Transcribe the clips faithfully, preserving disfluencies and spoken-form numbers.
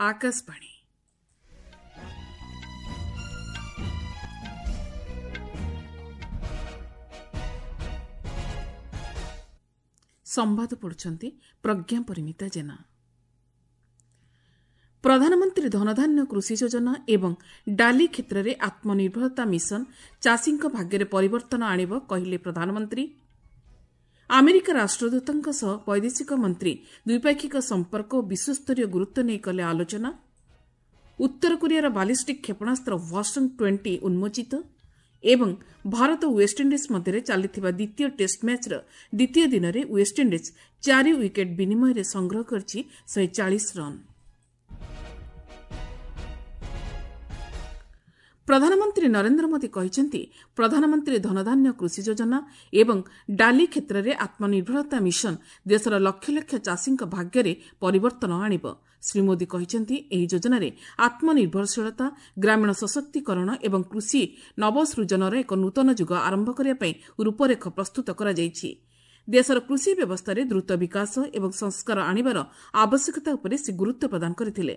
ଆକାଶବାଣୀ। ସମ୍ବାଦ ପଢୁଛନ୍ତି ପ୍ରଜ୍ଞା ପରିମିତା ଜେନା। ପ୍ରଧାନମନ୍ତ୍ରୀ ଧନଧାନ୍ୟ କୃଷି ଯୋଜନା ଏବଂ ଡାଲି କ୍ଷେତ୍ରରେ ଆତ୍ମନିର୍ଭରତା ମିଶନ ଚାଷୀଙ୍କ ଭାଗ୍ୟରେ ପରିବର୍ତ୍ତନ ଆଣିବ, କହିଲେ ପ୍ରଧାନମନ୍ତ୍ରୀ। ଆମେରିକା ରାଷ୍ଟ୍ରଦୂତଙ୍କ ସହ ବୈଦେଶିକ ମନ୍ତ୍ରୀ ଦ୍ୱିପାକ୍ଷିକ ସମ୍ପର୍କ ଓ ବିଶ୍ୱସ୍ତରୀୟ ଗୁରୁତ୍ୱ ନେଇ କଲେ ଆଲୋଚନା। ଉତ୍ତର କୋରିଆର ବାଲିଷ୍ଟିକ୍ କ୍ଷେପଣାସ୍ତ୍ର ହ୍ୱାସଙ୍ଗ ଟ୍ୱେଣ୍ଟି ଉନ୍ମୋଚିତ ଏବଂ ଭାରତ ଓ ୱେଷ୍ଟଇଣ୍ଡିଜ୍ ମଧ୍ୟରେ ଚାଲିଥିବା ଦ୍ୱିତୀୟ ଟେଷ୍ଟ ମ୍ୟାଚ୍ର ଦ୍ୱିତୀୟ ଦିନରେ ୱେଷ୍ଟଇଣ୍ଡିଜ୍ ଚାରି ୱିକେଟ୍ ବିନିମୟରେ ସଂଗ୍ରହ କରିଛି ଶହେ ଚାଳିଶ ରନ୍। ପ୍ରଧାନମନ୍ତ୍ରୀ ନରେନ୍ଦ୍ର ମୋଦି କହିଛନ୍ତି, ପ୍ରଧାନମନ୍ତ୍ରୀ ଧନଧାନ୍ୟ କୃଷି ଯୋଜନା ଏବଂ ଡାଲି କ୍ଷେତ୍ରରେ ଆତ୍ମନିର୍ଭରତା ମିଶନ ଦେଶର ଲକ୍ଷ ଲକ୍ଷ ଚାଷୀଙ୍କ ଭାଗ୍ୟରେ ପରିବର୍ତ୍ତନ ଆଣିବ। ଶ୍ରୀ ମୋଦି କହିଛନ୍ତି, ଏହି ଯୋଜନାରେ ଆତ୍ମନିର୍ଭରଶୀଳତା, ଗ୍ରାମୀଣ ସଶକ୍ତିକରଣ ଏବଂ କୃଷି ନବସୃଜନର ଏକ ନୂତନ ଯୁଗ ଆରମ୍ଭ କରିବା ପାଇଁ ରୂପରେଖ ପ୍ରସ୍ତୁତ କରାଯାଇଛି। ଦେଶର କୃଷି ବ୍ୟବସ୍ଥାରେ ଦ୍ରୁତ ବିକାଶ ଏବଂ ସଂସ୍କାର ଆଣିବାର ଆବଶ୍ୟକତା ଉପରେ ସେ ଗୁରୁତ୍ୱ ପ୍ରଦାନ କରିଥିଲେ।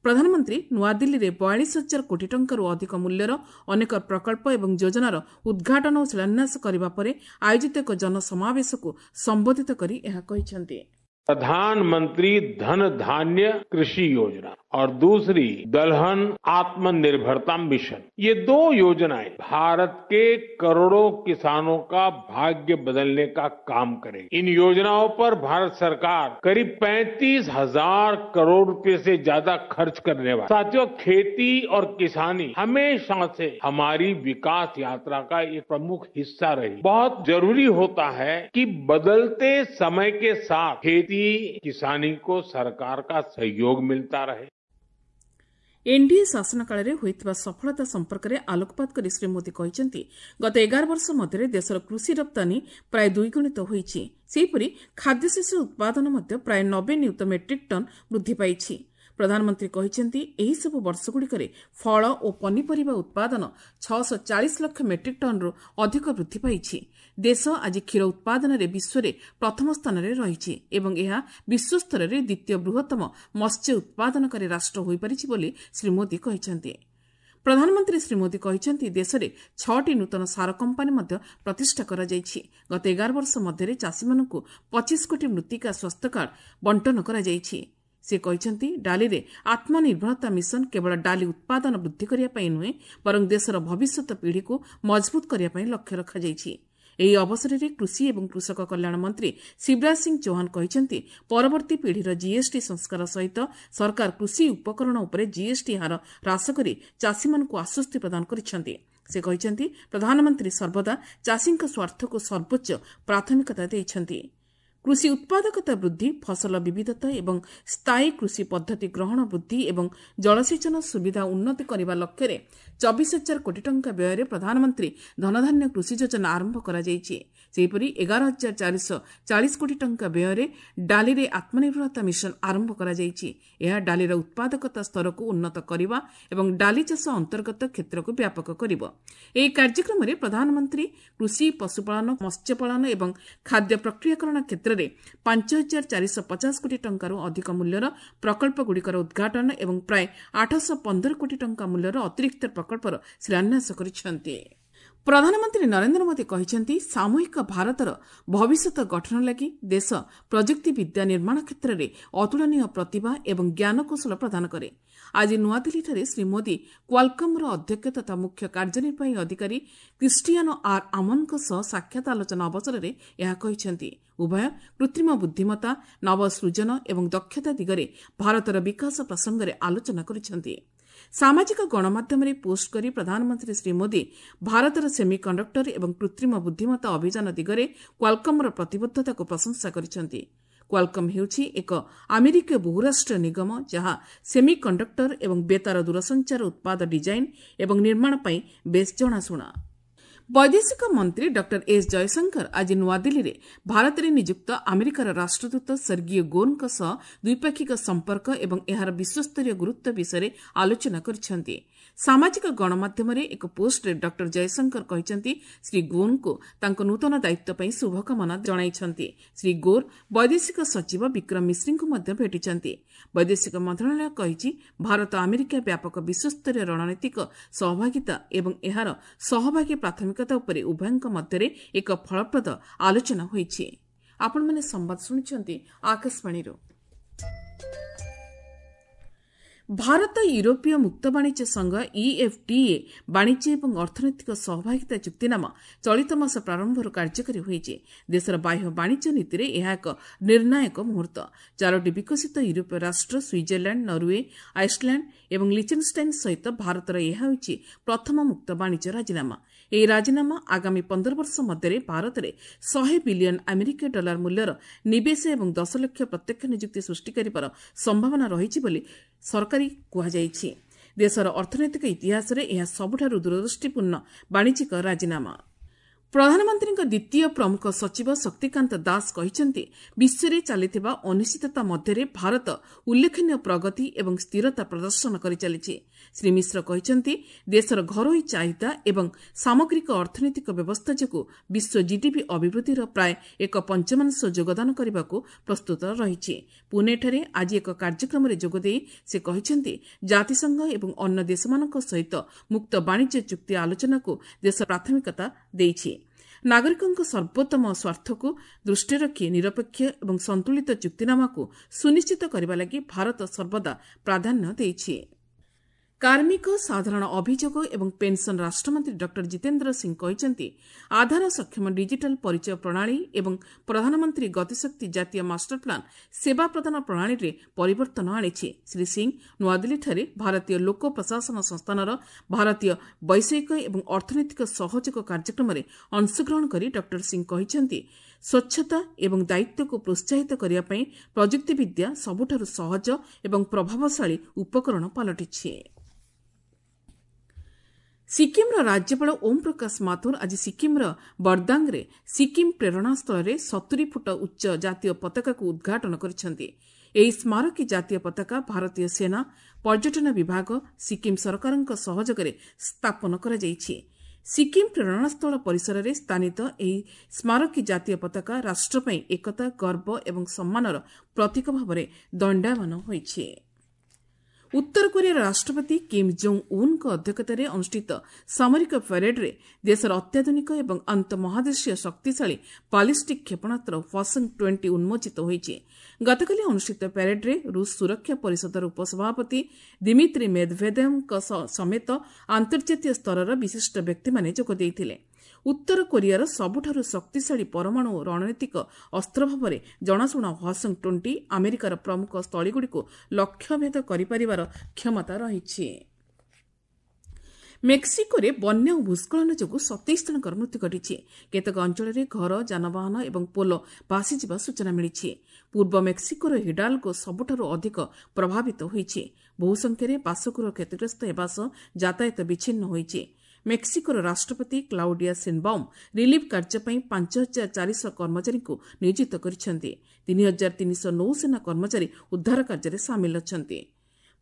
ପ୍ରଧାନମନ୍ତ୍ରୀ ନୂଆଦିଲ୍ଲୀରେ ବୟାଳିଶ ହଜାର କୋଟି ଟଙ୍କାରୁ ଅଧିକ ମୂଲ୍ୟର ଅନେକ ପ୍ରକଳ୍ପ ଏବଂ ଯୋଜନାର ଉଦ୍ଘାଟନ ଓ ଶିଳାନ୍ୟାସ କରିବା ପରେ ଆୟୋଜିତ ଏକ ଜନସମାବେଶକୁ ସମ୍ବୋଧିତ କରି ଏହା କହିଛନ୍ତି। प्रधानमंत्री धन धान्य कृषि योजना और दूसरी दलहन आत्मनिर्भरता मिशन, ये दो योजनाएं भारत के करोड़ों किसानों का भाग्य बदलने का काम करेगी। इन योजनाओं पर भारत सरकार करीब पैंतीस हजार करोड़ रुपए से ज्यादा खर्च करने वाली। साथियों, खेती और किसानी हमेशा से हमारी विकास यात्रा का एक प्रमुख हिस्सा रही। बहुत जरूरी होता है कि बदलते समय के साथ खेती किसानी को सरकार का सहयोग मिलता रहे। ଏନ୍ଡିଏ ଶାସନ କାଳରେ ହୋଇଥିବା ସଫଳତା ସମ୍ପର୍କରେ ଆଲୋକପାତ କରି ଶ୍ରୀ ମୋଦି କହିଛନ୍ତି, ଗତ ଏଗାର ବର୍ଷ ମଧ୍ୟରେ ଦେଶର କୃଷି ରପ୍ତାନୀ ପ୍ରାୟ ଦ୍ୱିଗୁଣିତ ହୋଇଛି। ସେହିପରି ଖାଦ୍ୟଶସ୍ୟ ଉତ୍ପାଦନ ମଧ୍ୟ ପ୍ରାୟ ନବେ ନିୟୁତ ମେଟ୍ରିକ୍ ଟନ୍ ବୃଦ୍ଧି ପାଇଛି। ପ୍ରଧାନମନ୍ତ୍ରୀ କହିଛନ୍ତି, ଏହିସବୁ ବର୍ଷଗୁଡ଼ିକରେ ଫଳ ଓ ପନିପରିବା ଉତ୍ପାଦନ ଛଅଶହ ଚାଳିଶ ଲକ୍ଷ ମେଟ୍ରିକ୍ ଟନ୍ରୁ ଅଧିକ ବୃଦ୍ଧି ପାଇଛି। ଦେଶ ଆଜି କ୍ଷୀର ଉତ୍ପାଦନରେ ବିଶ୍ୱରେ ପ୍ରଥମ ସ୍ଥାନରେ ରହିଛି ଏବଂ ଏହା ବିଶ୍ୱସ୍ତରରେ ଦ୍ୱିତୀୟ ବୃହତ୍ତମ ମତ୍ସ୍ୟ ଉତ୍ପାଦନକାରୀ ରାଷ୍ଟ୍ର ହୋଇପାରିଛି ବୋଲି ଶ୍ରୀ ମୋଦି କହିଛନ୍ତି। ପ୍ରଧାନମନ୍ତ୍ରୀ ଶ୍ରୀ ମୋଦି କହିଛନ୍ତି, ଦେଶରେ ଛଅଟି ନୂତନ ସାର କମ୍ପାନୀ ମଧ୍ୟ ପ୍ରତିଷ୍ଠା କରାଯାଇଛି। ଗତ ଏଗାର ବର୍ଷ ମଧ୍ୟରେ ଚାଷୀମାନଙ୍କୁ ପଚିଶ କୋଟି ମୃତ୍ତିକା ସ୍ୱାସ୍ଥ୍ୟ କାର୍ଡ ବଣ୍ଟନ କରାଯାଇଛି। ସେ କହିଛନ୍ତି, ଡାଲିରେ ଆତ୍ମନିର୍ଭରତା ମିଶନ କେବଳ ଡାଲି ଉତ୍ପାଦନ ବୃଦ୍ଧି କରିବା ପାଇଁ ନୁହେଁ, ବରଂ ଦେଶର ଭବିଷ୍ୟତ ପିଢ଼ିକୁ ମଜବୁତ କରିବା ପାଇଁ ଲକ୍ଷ୍ୟ ରଖାଯାଇଛି। ଏହି ଅବସରରେ କୃଷି ଏବଂ କୃଷକ କଲ୍ୟାଣ ମନ୍ତ୍ରୀ ଶିବରାଜ ସିଂ ଚୌହାନ କହିଛନ୍ତି, ପରବର୍ତ୍ତୀ ପିଢ଼ିର ଜିଏସ୍ଟି ସଂସ୍କାର ସହିତ ସରକାର କୃଷି ଉପକରଣ ଉପରେ ଜିଏସ୍ଟି ହାର ହ୍ରାସ କରି ଚାଷୀମାନଙ୍କୁ ଆଶ୍ୱସ୍ତି ପ୍ରଦାନ କରିଛନ୍ତି। ସେ କହିଛନ୍ତି, ପ୍ରଧାନମନ୍ତ୍ରୀ ସର୍ବଦା ଚାଷୀଙ୍କ ସ୍ୱାର୍ଥକୁ ସର୍ବୋଚ୍ଚ ପ୍ରାଥମିକତା ଦେଇଛନ୍ତି। କୃଷି ଉତ୍ପାଦକତା ବୃଦ୍ଧି, ଫସଲ ବିବିଧତା ଏବଂ ସ୍ଥାୟୀ କୃଷି ପଦ୍ଧତି ଗ୍ରହଣ ବୃଦ୍ଧି ଏବଂ ଜଳସେଚନ ସୁବିଧା ଉନ୍ନତି କରିବା ଲକ୍ଷ୍ୟରେ ଚବିଶ ହଜାର କୋଟି ଟଙ୍କା ବ୍ୟୟରେ ପ୍ରଧାନମନ୍ତ୍ରୀ ଧନଧାନ୍ୟ କୃଷି ଯୋଜନା ଆରମ୍ଭ କରାଯାଇଛି। ସେହିପରି ଏଗାର ହଜାର ଚାରିଶହ ଚାଳିଶ କୋଟି ଟଙ୍କା ବ୍ୟୟରେ ଡାଲିରେ ଆତ୍ମନିର୍ଭରତା ମିଶନ ଆରମ୍ଭ କରାଯାଇଛି। ଏହା ଡାଲିର ଉତ୍ପାଦକତା ସ୍ତରକୁ ଉନ୍ନତ କରିବା ଏବଂ ଡାଲି ଚାଷ ଅନ୍ତର୍ଗତ କ୍ଷେତ୍ରକୁ ବ୍ୟାପକ କରିବ। ଏହି କାର୍ଯ୍ୟକ୍ରମରେ ପ୍ରଧାନମନ୍ତ୍ରୀ କୃଷି, ପଶୁପାଳନ, ମତ୍ସ୍ୟପାଳନ ଏବଂ ଖାଦ୍ୟ ପ୍ରକ୍ରିୟାକରଣ କ୍ଷେତ୍ରରେ ପାଞ୍ଚ ହଜାର ଚାରିଶହ ପଚାଶ କୋଟି ଟଙ୍କାରୁ ଅଧିକ ମୂଲ୍ୟର ପ୍ରକଳ୍ପଗୁଡ଼ିକର ଉଦ୍ଘାଟନ ଏବଂ ପ୍ରାୟ ଆଠଶହ ପନ୍ଦର କୋଟି ଟଙ୍କା ମୂଲ୍ୟର ଅତିରିକ୍ତ ପ୍ରକଳ୍ପର ଶିଳାନ୍ୟାସ କରିଛନ୍ତି। ପ୍ରଧାନମନ୍ତ୍ରୀ ନରେନ୍ଦ୍ର ମୋଦି କହିଛନ୍ତି, ସାମୂହିକ ଭାରତର ଭବିଷ୍ୟତ ଗଠନ ଲାଗି ଦେଶ ପ୍ରଯୁକ୍ତିବିଦ୍ୟା ନିର୍ମାଣ କ୍ଷେତ୍ରରେ ଅତୁଳନୀୟ ପ୍ରତିଭା ଏବଂ ଜ୍ଞାନକୌଶଳ ପ୍ରଦାନ କରେ। ଆଜି ନୂଆଦିଲ୍ଲୀଠାରେ ଶ୍ରୀ ମୋଦି କ୍ୱାଲକମ୍ର ଅଧ୍ୟକ୍ଷ ତଥା ମୁଖ୍ୟ କାର୍ଯ୍ୟନିର୍ବାହୀ ଅଧିକାରୀ କ୍ରିଷ୍ଟିଆନୋ ଆର୍ ଆମନଙ୍କ ସହ ସାକ୍ଷାତ ଆଲୋଚନା ଅବସରରେ ଏହା କହିଛନ୍ତି। ଉଭୟ କୃତ୍ରିମ ବୁଦ୍ଧିମତ୍ତା, ନବସୃଜନ ଏବଂ ଦକ୍ଷତା ଦିଗରେ ଭାରତର ବିକାଶ ପ୍ରସଙ୍ଗରେ ଆଲୋଚନା କରିଛନ୍ତି। ସାମାଜିକ ଗଣମାଧ୍ୟମରେ ପୋଷ୍ଟ କରି ପ୍ରଧାନମନ୍ତ୍ରୀ ଶ୍ରୀ ମୋଦି ଭାରତର ସେମିକଣ୍ଡକ୍ଟର ଏବଂ କୃତ୍ରିମ ବୁଦ୍ଧିମତ୍ତା ଅଭିଯାନ ଦିଗରେ କ୍ୱାଲକମ୍ର ପ୍ରତିବଦ୍ଧତାକୁ ପ୍ରଶଂସା କରିଛନ୍ତି। କ୍ୱାଲକମ୍ ହେଉଛି ଏକ ଆମେରିକୀୟ ବହୁରାଷ୍ଟ୍ରୀୟ ନିଗମ, ଯାହା ସେମିକଣ୍ଡକ୍ଟର ଏବଂ ବେତାର ଦୂରସଞ୍ଚାର ଉତ୍ପାଦ ଡିଜାଇନ୍ ଏବଂ ନିର୍ମାଣ ପାଇଁ ବେଶ୍ ଜଣାଶୁଣା। ବୈଦେଶିକ ମନ୍ତ୍ରୀ ଡକ୍ଟର ଏସ୍ ଜୟଶଙ୍କର ଆଜି ନୂଆଦିଲ୍ଲୀରେ ଭାରତରେ ନିଯୁକ୍ତ ଆମେରିକାର ରାଷ୍ଟ୍ରଦୂତ ସେର୍ଗିଓ ଗୋର୍ଙ୍କ ସହ ଦ୍ୱିପାକ୍ଷିକ ସମ୍ପର୍କ ଏବଂ ଏହାର ବିଶ୍ୱସ୍ତରୀୟ ଗୁରୁତ୍ୱ ବିଷୟରେ ଆଲୋଚନା କରିଛନ୍ତି। ସାମାଜିକ ଗଣମାଧ୍ୟମରେ ଏକ ପୋଷ୍ଟରେ ଡକ୍ଟର ଜୟଶଙ୍କର କହିଛନ୍ତି, ଶ୍ରୀ ଗୋର୍ଙ୍କୁ ତାଙ୍କ ନୂତନ ଦାୟିତ୍ୱ ପାଇଁ ଶୁଭକାମନା ଜଣାଇଛନ୍ତି। ଶ୍ରୀ ଗୋର୍ ବୈଦେଶିକ ସଚିବ ବିକ୍ରମ ମିଶ୍ରିଙ୍କୁ ମଧ୍ୟ ଭେଟିଛନ୍ତି। ବୈଦେଶିକ ମନ୍ତ୍ରଣାଳୟ କହିଛି, ଭାରତ ଆମେରିକା ବ୍ୟାପକ ବିଶ୍ୱସ୍ତରୀୟ ରଣନୀତିକ ସହଭାଗିତା ଏବଂ ଏହାର ସହଭାଗୀ ପ୍ରାଥମିକତା ଉପରେ ଉଭୟଙ୍କ ମଧ୍ୟରେ ଏକ ଫଳପ୍ରଦ ଆଲୋଚନା ହୋଇଛି। ଆପଣମାନେ ସମ୍ବାଦ ଶୁଣୁଛନ୍ତି ଆକାଶବାଣୀରୁ। ଭାରତ ୟୁରୋପୀୟ ମୁକ୍ତ ବାଣିଜ୍ୟ ସଂଘ ଇଏଫ୍ଟିଏ ବାଣିଜ୍ୟ ଏବଂ ଅର୍ଥନୈତିକ ସହଭାଗିତା ଚୁକ୍ତିନାମା ଚଳିତ ମାସ ପ୍ରାରମ୍ଭରୁ କାର୍ଯ୍ୟକାରୀ ହୋଇଛି। ଦେଶର ବାହ୍ୟ ବାଣିଜ୍ୟ ନୀତିରେ ଏହା ଏକ ନିର୍ଣ୍ଣାୟକ ମୁହୂର୍ତ୍ତ। ଚାରୋଟି ବିକଶିତ ୟୁରୋପୀୟ ରାଷ୍ଟ୍ର ସୁଇଜରଲ୍ୟାଣ୍ଡ, ନରୱେ, ଆଇସଲ୍ୟାଣ୍ଡ ଏବଂ ଲିଚେନ୍ଷ୍ଟାଇନ୍ ସହିତ ଭାରତର ଏହା ହେଉଛି ପ୍ରଥମ ମୁକ୍ତ ବାଣିଜ୍ୟ ରାଜିନାମା। ଏହି ରାଜିନାମା ଆଗାମୀ ପନ୍ଦର ବର୍ଷ ମଧ୍ୟରେ ଭାରତରେ ଶହେ ବିଲିୟନ ଆମେରିକୀୟ ଡଲାର ମୂଲ୍ୟର ନିବେଶ ଏବଂ ଦଶ ଲକ୍ଷ ପ୍ରତ୍ୟକ୍ଷ ନିଯୁକ୍ତି ସୃଷ୍ଟି କରିବାର ସମ୍ଭାବନା ରହିଛି ବୋଲି ସରକାରୀ କୁହାଯାଇଛି। ଦେଶର ଅର୍ଥନୈତିକ ଇତିହାସରେ ଏହା ସବୁଠାରୁ ଦୂରଦୃଷ୍ଟିପୂର୍ଣ୍ଣ ବାଣିଜ୍ୟିକ ରାଜିନାମା। ପ୍ରଧାନମନ୍ତ୍ରୀଙ୍କ ଦ୍ୱିତୀୟ ପ୍ରମୁଖ ସଚିବ ଶକ୍ତିକାନ୍ତ ଦାସ କହିଛନ୍ତି, ବିଶ୍ୱରେ ଚାଲିଥିବା ଅନିଶ୍ଚିତତା ମଧ୍ୟରେ ଭାରତ ଉଲ୍ଲେଖନୀୟ ପ୍ରଗତି ଏବଂ ସ୍ଥିରତା ପ୍ରଦର୍ଶନ କରିଚାଲିଛି। ଶ୍ରୀ ମିଶ୍ର କହିଛନ୍ତି, ଦେଶର ଘରୋଇ ଚାହିଦା ଏବଂ ସାମଗ୍ରିକ ଅର୍ଥନୈତିକ ବ୍ୟବସ୍ଥା ଯୋଗୁଁ ବିଶ୍ୱ ଜିଡିପି ଅଭିବୃଦ୍ଧିର ପ୍ରାୟ ଏକ ପଞ୍ଚମାଂଶ ଯୋଗଦାନ କରିବାକୁ ପ୍ରସ୍ତୁତ ରହିଛି। ପୁନେଠାରେ ଆଜି ଏକ କାର୍ଯ୍ୟକ୍ରମରେ ଯୋଗଦେଇ ସେ କହିଛନ୍ତି, ଜାତିସଂଘ ଏବଂ ଅନ୍ୟ ଦେଶମାନଙ୍କ ସହିତ ମୁକ୍ତ ବାଣିଜ୍ୟ ଚୁକ୍ତି ଆଲୋଚନାକୁ ଦେଶ ପ୍ରାଥମିକତା ଦେଇଛି। ନାଗରିକଙ୍କ ସର୍ବୋତ୍ତମ ସ୍ୱାର୍ଥକୁ ଦୃଷ୍ଟିରେ ରଖି ନିରପେକ୍ଷ ଏବଂ ସନ୍ତୁଳିତ ଚୁକ୍ତିନାମାକୁ ସୁନିଶ୍ଚିତ କରିବା ଲାଗି ଭାରତ ସର୍ବଦା ପ୍ରାଧାନ୍ୟ ଦେଇଛି। କାର୍ମିକ, ସାଧାରଣ ଅଭିଯୋଗ ଏବଂ ପେନ୍ସନ୍ ରାଷ୍ଟ୍ରମନ୍ତ୍ରୀ ଡକ୍ଟର ଜିତେନ୍ଦ୍ର ସିଂ କହିଛନ୍ତି, ଆଧାର ସକ୍ଷମ ଡିଜିଟାଲ ପରିଚୟ ପ୍ରଣାଳୀ ଏବଂ ପ୍ରଧାନମନ୍ତ୍ରୀ ଗତିଶକ୍ତି ଜାତୀୟ ମାଷ୍ଟର ପ୍ଲାନ୍ ସେବା ପ୍ରଦାନ ପ୍ରଣାଳୀରେ ପରିବର୍ତ୍ତନ ଆଣିଛି। ଶ୍ରୀ ସିଂ ନୂଆଦିଲ୍ଲୀଠାରେ ଭାରତୀୟ ଲୋକ ପ୍ରଶାସନ ସଂସ୍ଥାନର ଭାରତୀୟ ବୈଷୟିକ ଏବଂ ଅର୍ଥନୈତିକ ସହଯୋଗ କାର୍ଯ୍ୟକ୍ରମରେ ଅଂଶଗ୍ରହଣ କରି ଡକ୍ଟର ସିଂ କହିଛନ୍ତି, ସ୍ୱଚ୍ଛତା ଏବଂ ଦାୟିତ୍ୱକୁ ପ୍ରୋତ୍ସାହିତ କରିବା ପାଇଁ ପ୍ରଯୁକ୍ତିବିଦ୍ୟା ସବୁଠାରୁ ସହଜ ଏବଂ ପ୍ରଭାବଶାଳୀ ଉପକରଣ ପାଲଟିଛି। ସିକିମ୍ର ରାଜ୍ୟପାଳ ଓମ୍ ପ୍ରକାଶ ମାଥୁର ଆଜି ସିକିମ୍ର ବର୍ଦାଙ୍ଗରେ ସିକିମ୍ ପ୍ରେରଣାସ୍ଥଳରେ ସତୁରି ଫୁଟ ଉଚ୍ଚ ଜାତୀୟ ପତାକାକୁ ଉଦ୍ଘାଟନ କରିଛନ୍ତି। ଏହି ସ୍ମାରକୀ ଜାତୀୟ ପତାକା ଭାରତୀୟ ସେନା, ପର୍ଯ୍ୟଟନ ବିଭାଗ, ସିକିମ୍ ସରକାରଙ୍କ ସହଯୋଗରେ ସ୍ଥାପନ କରାଯାଇଛି। ସିକିମ୍ ପ୍ରେରଣାସ୍ଥଳ ପରିସରରେ ସ୍ଥାନିତ ଏହି ସ୍ମାରକୀ ଜାତୀୟ ପତାକା ରାଷ୍ଟ୍ର ପାଇଁ ଏକତା, ଗର୍ବ ଏବଂ ସମ୍ମାନର ପ୍ରତୀକ ଭାବରେ ଦଣ୍ଡାୟମାନ ହୋଇଛି। ଉତ୍ତର କୋରିଆର ରାଷ୍ଟ୍ରପତି କିମ୍ ଜୋଙ୍ଗ୍ ଉନ୍ଙ୍କ ଅଧ୍ୟକ୍ଷତାରେ ଅନୁଷ୍ଠିତ ସାମରିକ ପ୍ୟାରେଡ୍ରେ ଦେଶର ଅତ୍ୟାଧୁନିକ ଏବଂ ଆନ୍ତଃମହାଦେଶୀୟ ଶକ୍ତିଶାଳୀ ବାଲିଷ୍ଟିକ୍ କ୍ଷେପଣାସ୍ତ୍ର ହ୍ୱାସଙ୍ଗ ଟ୍ୱେଣ୍ଟି ଉନ୍ମୋଚିତ ହୋଇଛି। ଗତକାଲି ଅନୁଷ୍ଠିତ ପ୍ୟାରେଡ୍ରେ ରୁଷ ସୁରକ୍ଷା ପରିଷଦର ଉପସଭାପତି ଦିମିତ୍ରି ମେଦଭେଦେଭଙ୍କ ସମେତ ଆନ୍ତର୍ଜାତୀୟ ସ୍ତରର ବିଶିଷ୍ଟ ବ୍ୟକ୍ତିମାନେ ଯୋଗ ଦେଇଥିଲେ। ଉତ୍ତର କୋରିଆର ସବୁଠାରୁ ଶକ୍ତିଶାଳୀ ପରମାଣୁ ରଣନୀତିକ ଅସ୍ତ୍ର ଭାବରେ ଜଣାଶୁଣା ହ୍ୱାସଙ୍ଗ ଟ୍ୱେଣ୍ଟି ଆମେରିକାର ପ୍ରମୁଖ ସ୍ଥଳୀଗୁଡ଼ିକୁ ଲକ୍ଷ୍ୟଭେଦ କରିପାରିବାର କ୍ଷମତା ରହିଛି। ମେକ୍ସିକୋରେ ବନ୍ୟା ଓ ଭୂସ୍ଖଳନ ଯୋଗୁଁ ସତେଇଶ ଜଣଙ୍କର ମୃତ୍ୟୁ ଘଟିଛି। କେତେକ ଅଞ୍ଚଳରେ ଘର, ଯାନବାହନ ଏବଂ ପୋଲ ଭାସିଯିବା ସୂଚନା ମିଳିଛି। ପୂର୍ବ ମେକ୍ସିକୋର ହିଡାଲଗୋ ସବୁଠାରୁ ଅଧିକ ପ୍ରଭାବିତ ହୋଇଛି। ବହୁ ସଂଖ୍ୟାରେ ବାସଗୃହ କ୍ଷତିଗ୍ରସ୍ତ ହେବା ସହ ଯାତାୟାତ ବିଚ୍ଛିନ୍ନ ହୋଇଛି। ମେକ୍ସିକୋର ରାଷ୍ଟ୍ରପତି କ୍ଲାଉଡିଆ ସିନବାଉମ୍ ରିଲିଫ୍ କାର୍ଯ୍ୟ ପାଇଁ ପାଞ୍ଚ ହଜାର ଚାରିଶହ କର୍ମଚାରୀଙ୍କୁ ନିୟୋଜିତ କରିଛନ୍ତି। ତିନି ହଜାର ତିନିଶହ ନୌସେନା କର୍ମଚାରୀ ଉଦ୍ଧାର କାର୍ଯ୍ୟରେ ସାମିଲ ଅଛନ୍ତି।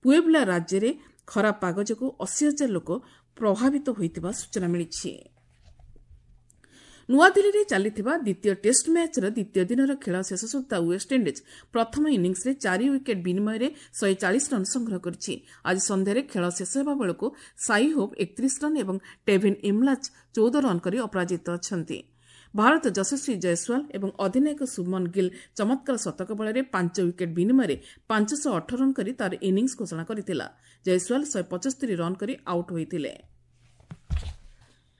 ପୁଏବ୍ଲା ରାଜ୍ୟରେ ଖରାପ ପାଗ ଯୋଗୁଁ ଅଶୀ ହଜାର ଲୋକ ପ୍ରଭାବିତ ହୋଇଥିବା ସୂଚନା ମିଳିଛି। ନୂଆଦିଲ୍ଲୀରେ ଚାଲିଥିବା ଦ୍ୱିତୀୟ ଟେଷ୍ଟ ମ୍ୟାଚ୍ର ଦ୍ୱିତୀୟ ଦିନର ଖେଳ ଶେଷ ସୁଦ୍ଧା ୱେଷ୍ଟଇଣ୍ଡିଜ୍ ପ୍ରଥମ ଇନିଂସରେ ଚାରି ୱିକେଟ୍ ବିନିମୟରେ ଶହେ ଚାଳିଶ ରନ୍ ସଂଗ୍ରହ କରିଛି। ଆଜି ସନ୍ଧ୍ୟାରେ ଖେଳ ଶେଷ ହେବା ବେଳକୁ ସାଇ ହୋପ୍ ଏକତିରିଶ ରନ୍ ଏବଂ ଟେଭିନ୍ ଇମ୍ଲାଚ୍ ଚଉଦ ରନ୍ କରି ଅପରାଜିତ ଅଛନ୍ତି। ଭାରତ ଯଶସ୍ୱୀ ଜୟସ୍ୱାଲ ଏବଂ ଅଧିନାୟକ ଶୁଭମନ ଗିଲ୍ ଚମତ୍କାର ଶତକ ବଳରେ ପାଞ୍ଚ ୱିକେଟ୍ ବିନିମୟରେ ପାଞ୍ଚଶହ ଅଠର ରନ୍ କରି ତା'ର ଇନିଂସ ଘୋଷଣା କରିଥିଲା। ଜୟସ୍ୱାଲ ଶହେ ପଞ୍ଚସ୍ତରୀ ରନ୍ କରି ଆଉଟ୍ ହୋଇଥିଲେ।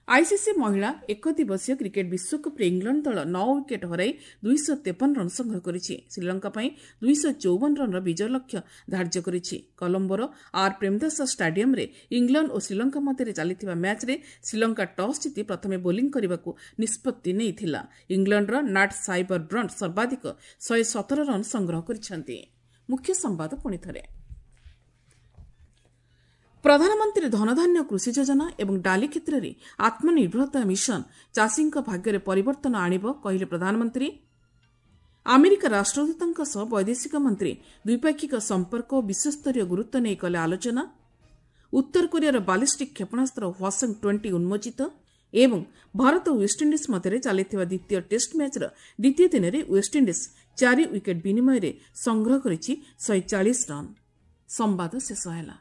ଆଇସିସି ମହିଳା ଏକଦିବସୀୟ କ୍ରିକେଟ୍ ବିଶ୍ୱକପ୍ରେ ଇଂଲଣ୍ଡ ଦଳ ନଅ ୱିକେଟ୍ ହରାଇ ଦୁଇଶହ ତେପନ ରନ୍ ସଂଗ୍ରହ କରିଛି। ଶ୍ରୀଲଙ୍କା ପାଇଁ ଦୁଇଶହ ଚଉବନ ରନ୍ର ବିଜୟ ଲକ୍ଷ୍ୟ ଧାର୍ଯ୍ୟ କରିଛି। କଲମ୍ବୋର ଆର୍ ପ୍ରେମଦାସ ଷ୍ଟାଡିୟମ୍ରେ ଇଂଲଣ୍ଡ ଓ ଶ୍ରୀଲଙ୍କା ମଧ୍ୟରେ ଚାଲିଥିବା ମ୍ୟାଚ୍ରେ ଶ୍ରୀଲଙ୍କା ଟସ୍ ଜିତି ପ୍ରଥମେ ବୋଲିଂ କରିବାକୁ ନିଷ୍ପତ୍ତି ନେଇଥିଲା। ଇଂଲଣ୍ଡର ନାଟ୍ ସାଇବର ବ୍ରଣ୍ଟ ସର୍ବାଧିକ ଶହେ ସତର ରନ୍ ସଂଗ୍ରହ କରିଛନ୍ତି। ମୁଖ୍ୟ ସମ୍ବାଦ ପୁଣିଥରେ। ପ୍ରଧାନମନ୍ତ୍ରୀ ଧନଧାନ୍ୟ କୃଷି ଯୋଜନା ଏବଂ ଡାଲି କ୍ଷେତ୍ରରେ ଆତ୍ମନିର୍ଭରତା ମିଶନ ଚାଷୀଙ୍କ ଭାଗ୍ୟରେ ପରିବର୍ତ୍ତନ ଆଣିବ, କହିଲେ ପ୍ରଧାନମନ୍ତ୍ରୀ। ଆମେରିକା ରାଷ୍ଟ୍ରଦୂତଙ୍କ ସହ ବୈଦେଶିକ ମନ୍ତ୍ରୀ ଦ୍ୱିପାକ୍ଷିକ ସମ୍ପର୍କ ଓ ବିଶ୍ୱସ୍ତରୀୟ ଗୁରୁତ୍ୱ ନେଇ କଲେ ଆଲୋଚନା। ଉତ୍ତର କୋରିଆର ବାଲିଷ୍ଟିକ୍ କ୍ଷେପଣାସ୍ତ୍ର ହ୍ୱାସଙ୍ଗ ଟ୍ୱେଣ୍ଟି ଉନ୍ମୋଚିତ। ଏବଂ ଭାରତ ଓ ୱେଷ୍ଟଇଣ୍ଡିଜ୍ ମଧ୍ୟରେ ଚାଲିଥିବା ଦ୍ୱିତୀୟ ଟେଷ୍ଟ ମ୍ୟାଚ୍ର ଦ୍ୱିତୀୟ ଦିନରେ ୱେଷ୍ଟଇଣ୍ଡିଜ୍ ଚାରି ୱିକେଟ୍ ବିନିମୟରେ ସଂଗ୍ରହ କରିଛି ଶହେ ଚାଳିଶ ରନ୍। ସମ୍ବାଦ ଶେଷ ହେଲା।